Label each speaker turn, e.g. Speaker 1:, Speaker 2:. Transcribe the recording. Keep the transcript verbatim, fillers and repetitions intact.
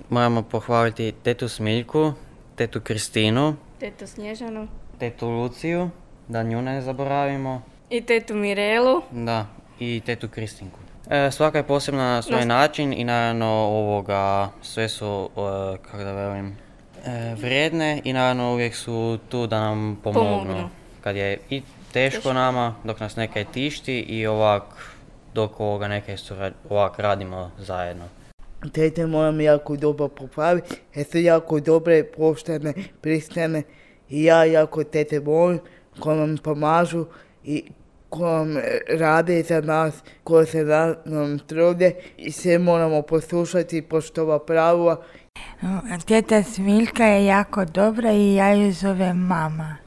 Speaker 1: Moramo pohvaliti tetu Smiljku, tetu Kristinu,
Speaker 2: tetu Snježanu,
Speaker 1: tetu Luciju, da nju ne zaboravimo.
Speaker 2: I tetu Mirelu.
Speaker 1: Da, i tetu Kristinku. E, svaka je posebna na svoj no. način i naravno ovoga, sve su, e, kako da velim, e, vrijedne i naravno uvijek su tu da nam pomognu. pomognu. Kad je i teško, teško nama, dok nas nekaj tišti i ovak, dok ovoga nekaj surad, ovak radimo zajedno.
Speaker 3: Tete moram jako dobro pohvaliti, jer su jako dobre, poštene, pristane i ja jako tete volim, koje nam pomažu i koje rade za nas, koje se nam trude i sve moramo poslušati, poštova pravila.
Speaker 4: Teta Smiljka je jako dobra i ja ju zovem mama.